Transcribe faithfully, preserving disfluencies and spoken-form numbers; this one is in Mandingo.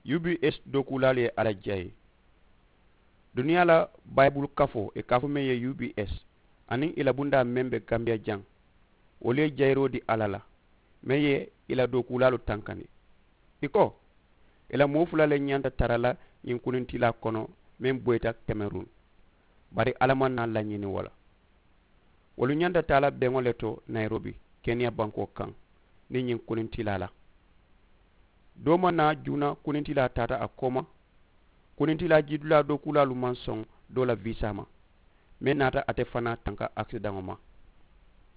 U b s dookuulaalu ye alla jayi. Duniyaa la bayibulu kafoo ì ka a fo meŋ ye u b s aniŋ ì la bundaa meŋ be gambiya jaŋ, wolu ye jayiroo dii alla la meŋ ye ì la dookuulaalu tankandi. Ì ko, ì la moo fula le ñanta tara la ñiŋ kunintilaa kono meŋ boyita kemerun. Bari alla maŋ naa lañini wo la. Wolu ñanta taa la beŋo le to nayirobi, keniya bankoo kaŋ niŋ ñiŋ kunintilaa la. Doo maŋ naa juuna kunintilaa taata a kooma. Kunintilaa jiidulaa dookuulaalu maŋ soŋ doo la viisaa ma, meŋ naata ate fanaa tanka akisidaŋo ma.